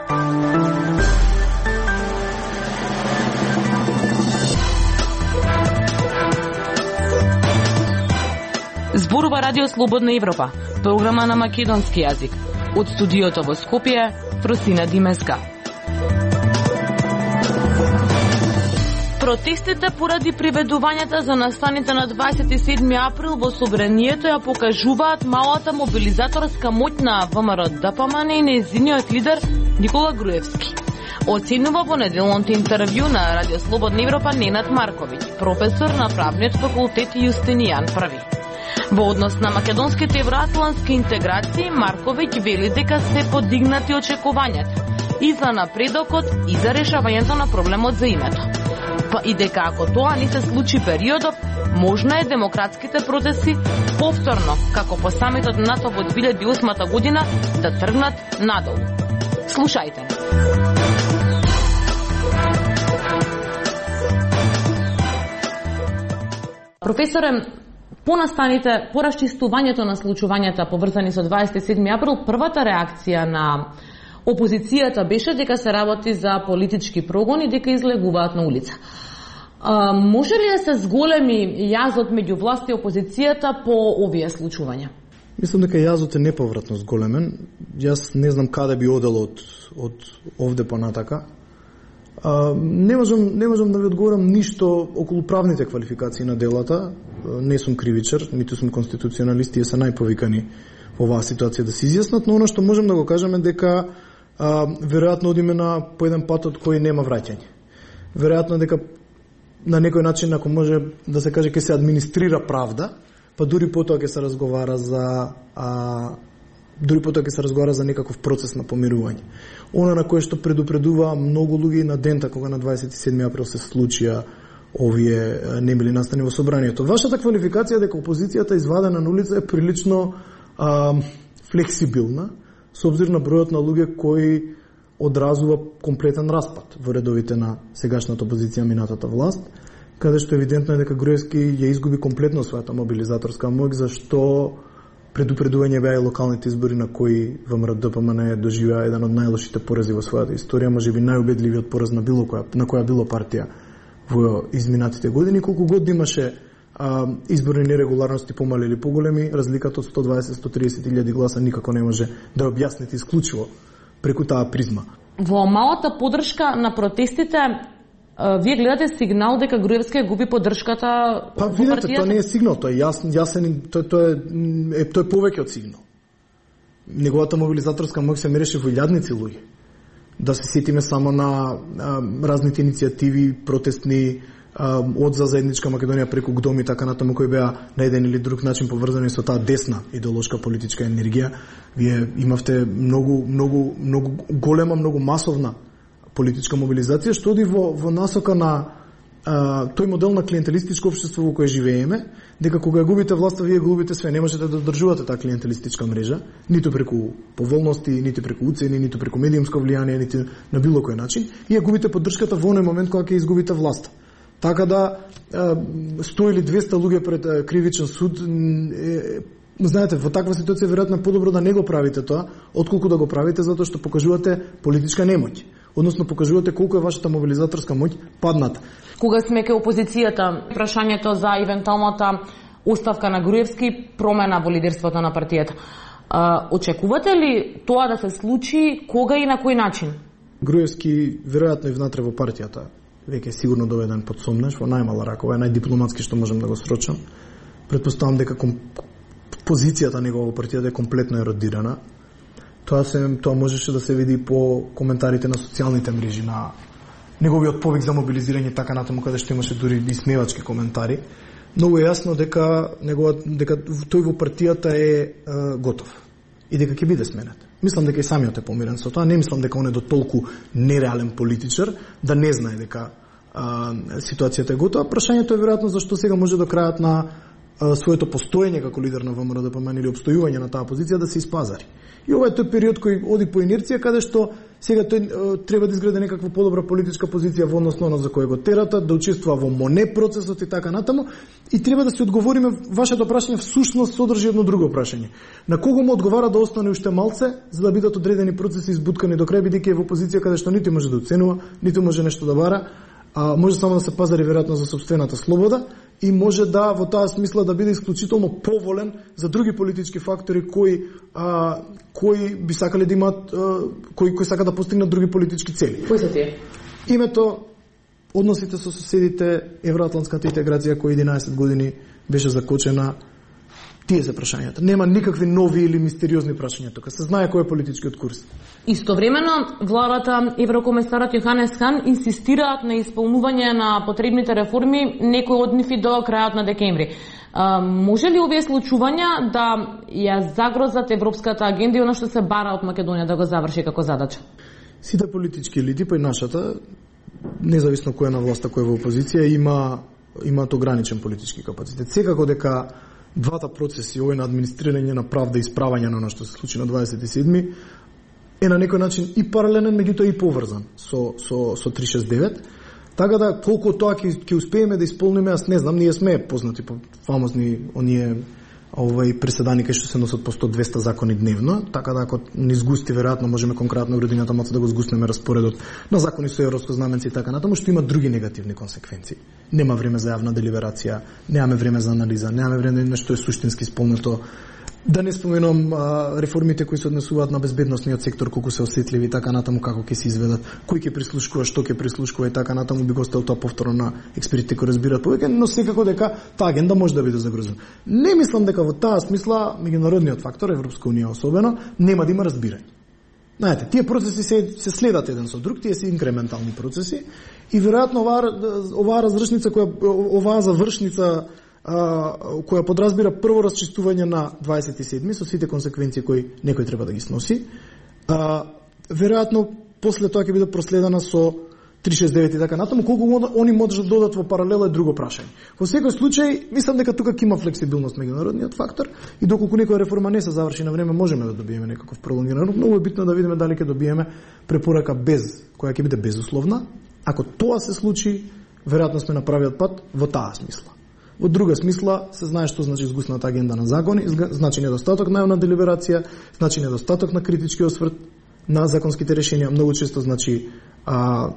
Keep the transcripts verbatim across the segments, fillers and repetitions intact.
Зборува Радио Слободна Европа, програма на македонски јазик. Од студиото во Скопје, Фросина Димеска. Протестите поради приведувањата за настаните на дваесет и седми април во Собранието ја покажуваат малата мобилизаторска моќ на ВМРО-ДПМН и нејзиниот лидер Никола Груевски. Оценува во неделното интервју на Радио Слободна Европа Ненад Марковиќ, професор на правниот факултет Јустинијан Први. Во однос на македонските евроатлантски интеграции, Марковиќ вели дека се подигнати очекувањата и за напредокот и за решавањето на проблемот за името. Па и дека ако тоа не се случи периодов, можна е демократските протести повторно, како по самитот НАТО во две илјади и осма година, да тргнат надолу. Слушајте. Професоре, по настаните, по расчистувањето на случувањата поврзани со дваесет и седми април, првата реакција на опозицијата беше дека се работи за политички прогон и дека излегуваат на улица. А, може ли да се зголеми јазот меѓу власт и опозицијата по овие случувања? Мислам дека јазот е неповратно зголемен. Јас не знам каде би одел од, од овде понатака. А, не можам не можам да ви одговорам ништо околу правните квалификации на делата. Не сум кривичар, ниту сум конституционалист, и се најповикани во оваа ситуација да се изјаснат, но она што можем да го кажеме дека а, веројатно одиме на по еден пат од кој нема враќање. Веројатно дека на некој начин, ако може да се каже, ќе се администрира правда, па дури потоа ќе се разговара за а, дури потоа ќе се разговара за некаков процес на помирување. Она на кое што предупредува многу луѓе на дента кога на дваесет и седми април се случија овие не били настани во собранието. Вашата квалификација дека опозицијата извадена на улица е прилично а, флексибилна, со обзир на бројот на луѓе кои одразува комплетен распад во редовите на сегашната опозиција, минатата власт, каде што евидентно е дека Груевски ја изгуби комплетно својата мобилизаторска моќ, зашто предупредување беа и локалните избори на кои ВМРО-ДПМН доживеа еден од најлошите порази во својата историја, можеби најубедливиот пораз на било која на која било партија во изминатите години. Колку год имаше а, изборни нерегуларности, помали или поголеми, разликата од сто дваесет до сто триесет илјади гласа никако не може да ја објасните исклучиво преку таа призма. Во малата поддршка на протестите, вие гледате сигнал дека Груевски губи поддршката па, во видите, партијата? Тоа не е сигнал, тоа е јасен, јасен тоа, тоа е, е тоа е повеќе од сигнал. Неговата мобилизаторска моќ се мереше во илјадници луѓе. Да се сетиме само на а, разните иницијативи протестни а, од за заедничка Македонија преку ГДОМ и така натаму, кои беа на еден или друг начин поврзани со таа десна идеолошка политичка енергија. Вие имавте многу многу многу голема, многу масовна политичка мобилизација што оди во во насока на а, тој модел на клиентелистичко општество во кое живееме, дека кога губите власта, вие губите све, не можете да одржувате таа клиентелистичка мрежа, ниту преку поволности, ниту преку уцени, ниту преку медиумско влијание, ниту на било кој начин, и ја губите поддршката во оној момент кога ќе изгубите власта. Така да сто или двесте луѓе пред кривичен суд, е, знаете, во таква ситуација веројатно подобро да не го правите тоа, отколку да го правите затоа што покажувате политичка немоќ. Односно покажувате колку е вашата мобилизаторска моќ падната. Кога сме ке опозицијата, прашањето за евентуалната оставка на Груевски, промена во лидерството на партијата. А, очекувате ли тоа да се случи, кога и на кој начин? Груевски веројатно и внатре во партијата веќе е сигурно доведен под сомнеш, во најмала ракова, е најдипломатски што можем да го срочам. Претпоставам дека ком... позицијата негова во партијата е комплетно еродирана. Тоа се тоа можеше да се види по коментарите на социјалните мрежи, на неговиот повик за мобилизирање, така натаму, каде што имаше дури и смевачки коментари. Многу е јасно дека негова дека тој во партијата е, е готов и дека ќе биде сменет. Мислам дека и самиот е помирен со тоа, не мислам дека он е до толку нереален политичар да не знае дека а, ситуацијата е готова. Прашањето е веројатно зашто сега може до крајот на своето постоење како лидер на ВМРО-ДПМН или обстојување на таа позиција да се испазари. И ова е тој период кој оди по инерција, каде што сега тој треба да изгради некаква подобра политичка позиција во однос на оно за кој го терата, да учествува во МОНЕ процесот и така натаму, и треба да се одговориме. Вашето прашање всушност содржи едно друго прашање. На кого му одговара да остане уште малце за да бидат одредени процеси избуткани до крај, бидејќи е во позиција каде што ниту може да оценува, ниту може нешто да бара, а може само да се пазари веројатно за сопствената слобода и може да во таа смисла да биде исклучително поволен за други политички фактори кои а, кои би сакале да имаат а, кои кои сакаат да постигнат други политички цели. Кои се тие? Името, односите со соседите, евроатлантската интеграција која единаесет години беше закочена. Тие се прашањата. Нема никакви нови или мистериозни прашања тука. Се знае кој е политичкиот курс. Истовремено, владата, еврокомесарот Јоханес Хан инсистираат на исполнување на потребните реформи, некои од нив и до крајот на декември. А, може ли овие случувања да ја загрозат европската агенда и оно што се бара од Македонија да го заврши како задача? Сите политички елити, па и нашата, независно кој е на власта, кој е во опозиција, има имаат ограничен политички капацитет. Секако дека двата процеси, овој на администрирање на правда и исправање на оно што се случи на дваесет и седми, е на некој начин и паралелен, меѓутоа и поврзан со со со триста шесет девет. Така да колку тоа ќе ќе успееме да исполниме, аз не знам, ние сме познати по фамозни оние овој преседани кај што се носат по сто двеста закони дневно, така да ако ни згусти веројатно можеме конкретно годината маца да го згуснеме распоредот на закони со европско знаменце и така натаму, што има други негативни консеквенции. Нема време за јавна делиберација, немаме време за анализа, немаме време на што е суштински исполнето. Да не споменам а, реформите кои се однесуваат на безбедносниот сектор, колку се осетливи и така натаму, како ќе се изведат, кој ќе прислушкува, што ќе прислушкува и така натаму, би го оставил тоа повторно на експертите кои разбираат повеќе, но секако дека таа агенда може да биде загрозена. Не мислам дека во таа смисла меѓународниот фактор, Европска унија особено, нема да има разбирање. Знаете, тие процеси се, се следат еден со друг, тие се инкрементални процеси и веројатно оваа оваа разршница која оваа завршница која подразбира прво расчистување на дваесет и седми со сите консеквенции кои некој треба да ги сноси. А, веројатно после тоа ќе биде проследена со триста шесет девет и така натаму, колку они можат да додат во паралела е друго прашање. Во секој случај, мислам дека тука ќе има флексибилност меѓународниот фактор и доколку некоја реформа не се заврши на време, можеме да добиеме некаков пролонгиран рок. Многу е битно да видиме дали ќе добиеме препорака без, која ќе биде безусловна. Ако тоа се случи, веројатно сме на правиот пат во таа смисла. Во друга смисла се знае што значи згусната агенда на закони, значи недостаток на јавна делиберација, значи недостаток на критички осврт на законските решенија, многу често значи а,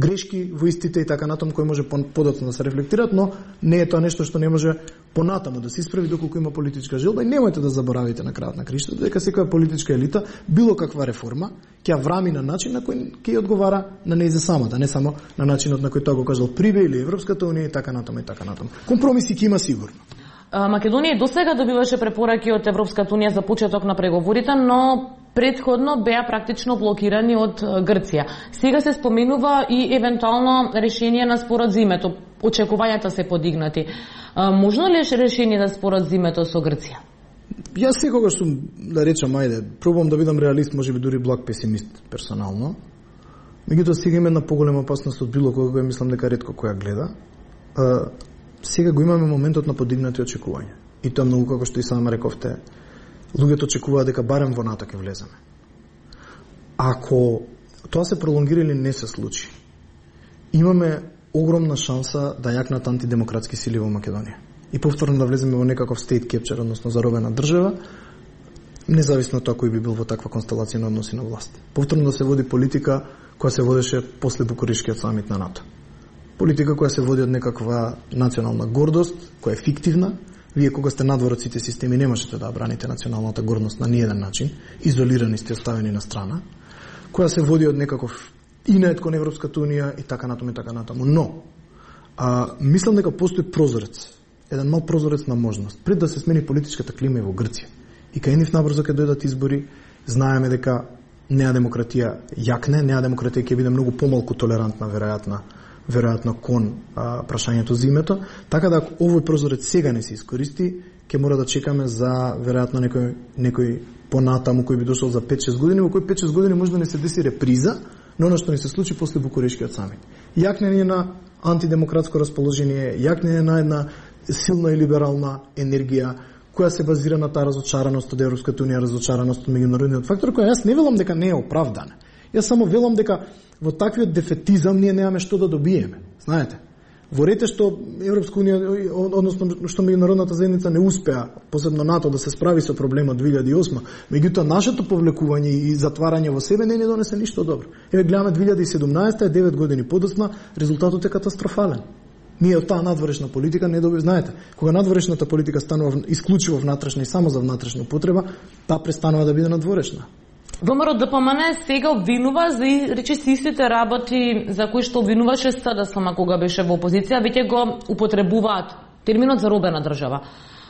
грешки во истите и така натаму кои може подоцна да се рефлектираат, но не е тоа нешто што не може понатаму да се исправи доколку има политичка желба. И немојте да заборавите на крајот на криштото дека секоја политичка елита било каква реформа ќе врами на начин на кој ќе одговара на нејзе самата, не само на начинот на кој тоа го кажал Прибе или Европската унија и така натаму и така натаму. Компромиси ќе има сигурно. Македонија досега добиваше препораки од Европската унија за почеток на преговорите, но претходно беа практично блокирани од Грција. Сега се споменува и евентуално решение на спорот за името. Очекувањата се подигнати. Можно ли е решение на спорот за името со Грција? Јас секогаш сум, да речам, ајде, пробувам да бидам реалист, можеби дури благ песимист персонално. Меѓутоа сега има една поголема опасност од било кога мислам дека ретко која гледа. А, сега го имаме моментот на подигнати очекувања. И тоа многу, како што и сам рековте, луѓето очекуваат дека барем во НАТО ќе влеземе. Ако тоа се пролонгира или не се случи, имаме огромна шанса да јакнат антидемократски сили во Македонија. И повторно да влеземе во некаков state capture, односно заробена држава, независно тоа кој би бил во таква констелација на односи на власт. Повторно да се води политика која се водеше после Букурешкиот самит на НАТО. Политика која се води од некаква национална гордост, која е фиктивна. Вие кога сте надвор од сите системи не можете да браните националната гордост на ниеден начин, изолирани сте, оставени на страна, која се води од некаков инет кон Европската унија и така натаму и така натаму. Но, а, мислам дека постои прозорец, еден мал прозорец на можност, пред да се смени политичката клима и во Грција. И кај нив набрзо ќе дојдат избори, знаеме дека неа демократија јакне, неа демократија ќе биде многу помалку толерантна, веројатно, веројатно кон а, прашањето за името, така да ако овој прозорец сега не се искористи, ќе мора да чекаме за веројатно некој некој понатаму кој би дошол за пет-шест години, во кој пет-шест години може да не се деси реприза на оно што ни се случи после Букурешкиот самит. Јакнење на антидемократско расположение, јакнење на една силна и либерална енергија, која се базира на таа разочараност од Европската унија, разочараност од меѓународниот фактор, која јас не велам дека не е оправдана. Јас само велам дека во таквиот дефетизам ние немаме што да добиеме. Знаете, во рете што Европска унија, односно што меѓународната заедница не успеа, посебно НАТО, да се справи со проблемот две илјади и осма, меѓутоа нашето повлекување и затварање во себе не ни донесе ништо добро. Еве гледаме две илјади и седумнаесета, девет години подоцна, резултатот е катастрофален. Ние од таа надворешна политика не доби, знаете, кога надворешната политика станува исклучиво внатрешна и само за внатрешна употреба, таа престанува да биде надворешна. ВМРО Д П М Н сега обвинува за речиси истите работи за кои што обвинуваше С Д С М кога беше во опозиција, веќе го употребуваат терминот заробена држава.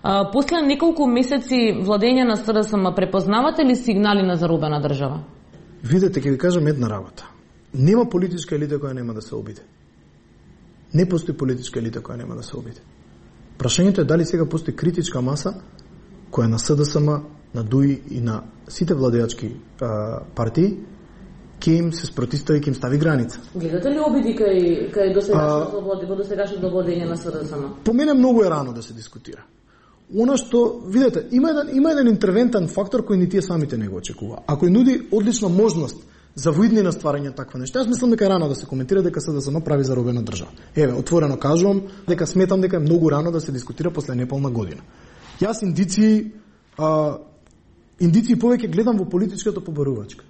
А, после неколку месеци владење на С Д С М препознавате ли сигнали на заробена држава? Видете, ќе ви кажам една работа. Нема политичка елита која нема да се обиде. Не постои политичка елита која нема да се обиде. Прашањето е дали сега постои критичка маса која на С Д С М, на Д У И и на сите владеачки а, партии ќе им се спротистави, ќе им стави граница. Гледате ли обиди кај кај досегашното во досегашното владење на С Д С М? По мене многу е рано да се дискутира. Она што, видете, има еден има еден интервентен фактор кој ни тие самите не го очекува. Ако нуди одлична можност за во иднина стварање таква нешта, јас мислам дека е рано да се коментира дека С Д С М прави заробена држава. Еве, отворено кажувам дека сметам дека е многу рано да се дискутира после неполна година. Јас индиции а, индиции повеќе гледам во политичката побарувачка.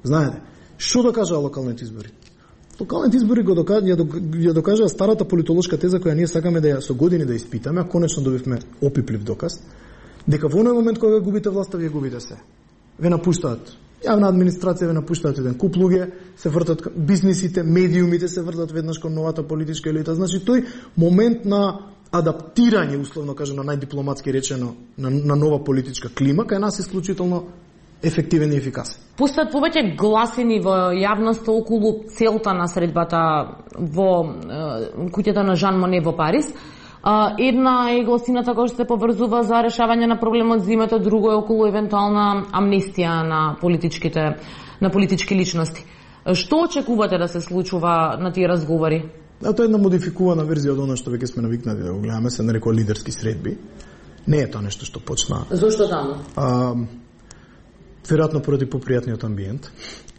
Знаете, што докажаа локалните избори? Локалните избори го докажа, ја докажаа старата политолошка теза која ние сакаме да ја со години да испитаме, а конечно добивме опиплив доказ, дека во оној момент кога губите власта, вие губите се. Ве напуштаат јавна администрација, ве напуштаат еден куп луѓе, се вртат бизнисите, медиумите се вртат веднаш кон новата политичка елита. Значи тој момент на адаптирање, условно кажано најдипломатски речено, на, на нова политичка клима, кај нас е исклучително ефективен и ефикасен. Постојат повеќе гласини во јавноста околу целта на средбата во е, куќата на Жан Моне во Париз. Една е гласината која што се поврзува за решавање на проблемот за името, друго е околу евентуална амнестија на политичките на политички личности. Што очекувате да се случува на тие разговори? А тоа е една модификувана верзија од она што веќе сме навикнати да го гледаме, се нарекува лидерски средби. Не е тоа нешто што почна. Зошто таму? А, веројатно поради попријатниот амбиент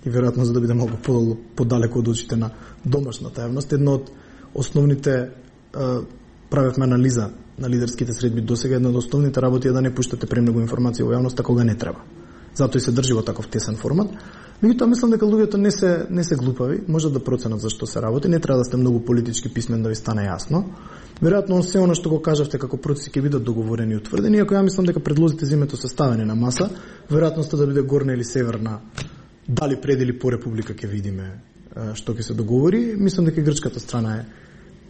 и веројатно за да биде малку подалеку од очите на домашната јавност. Едно од основните а, правевме анализа на лидерските средби досега, една од основните работи е да не пуштате премногу информација во јавноста кога не треба. Затоа и се држи во таков тесен формат. Меѓутоа мислам дека луѓето не се не се глупави, можат да проценат зашто се работи, не треба да сте многу политички писмен да ви стане јасно. Веројатно се она што го кажавте како процеси ќе бидат договорени и утврдени, ако ја мислам дека предлозите за името се ставени на маса, веројатноста да биде горна или северна, дали пред или по република ќе видиме што ќе се договори. Мислам дека грчката страна е,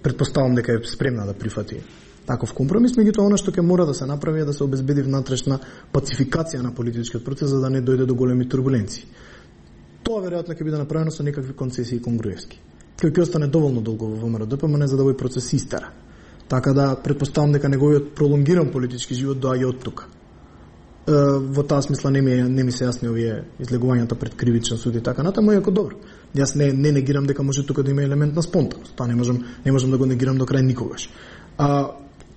претпоставам дека е спремна да прифати таков компромис, меѓутоа она што ќе мора да се направи е да се обезбеди внатрешна пацификација на политичкиот процес за да не дојде до големи турбуленции. Тоа веројатно ќе биде направено со некакви концесии конгруевски. Кој ќе остане доволно долго во ВМРО Д П М Н за да овој процес истера. Така да претпоставам дека неговиот пролонгиран политички живот доаѓа од тука. Е, во таа смисла не ми не ми се јасни овие излегувањата пред кривичен суд и така натаму, иако добро. Јас не не негирам дека може тука да има елемент на спонтаност. Тоа не можам не можам да го негирам до крај никогаш. А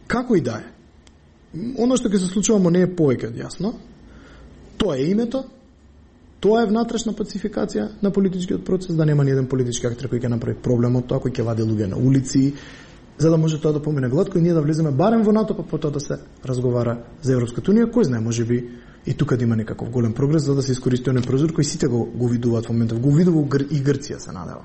како и да е, оно што ќе се случува мо не е повеќе од јасно. Тоа е името. Тоа е внатрешна пацификација на политичкиот процес, да нема ни еден политички актер кој ќе направи проблем од тоа, кој ќе вади луѓе на улици, за да може тоа да помине гладко и ние да влеземе барем во НАТО, па потоа да се разговара за Европската унија, кој знае, можеби и тука да има некаков голем прогрес за да се искористи оној прозор кој сите го, го видуваат во моментов, го видува и Грција се надева.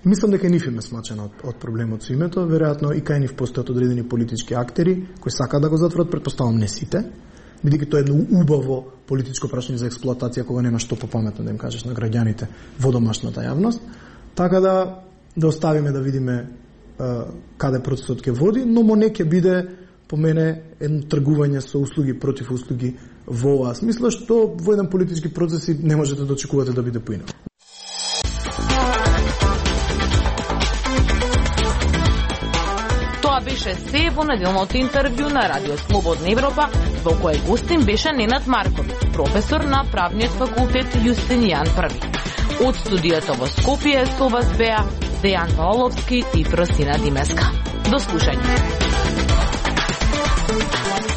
Мислам дека ниф име смачена од, од проблемот со името, веројатно и кај нив постојат одредени политички актери кои сакаат да го затворат, претпоставам не сите, бидејќи тоа е едно убаво политичко прашање за експлоатација кога нема што попаметно да им кажеш на граѓаните во домашната јавност. Така да да оставиме да видиме uh, каде процесот ќе води, но мо не ќе биде по мене едно тргување со услуги против услуги во оваа смисла, што во еден политички процес не можете да очекувате да биде поинаку. Тоа беше се во неделното интервју на Радио Слободна Европа, во кој гостин беше Ненад Марков, професор на правниот факултет Јустинијан Први. Од студиото во Скопје со вас беа Дејан Паоловски и Просина Димеска. До слушање. Музика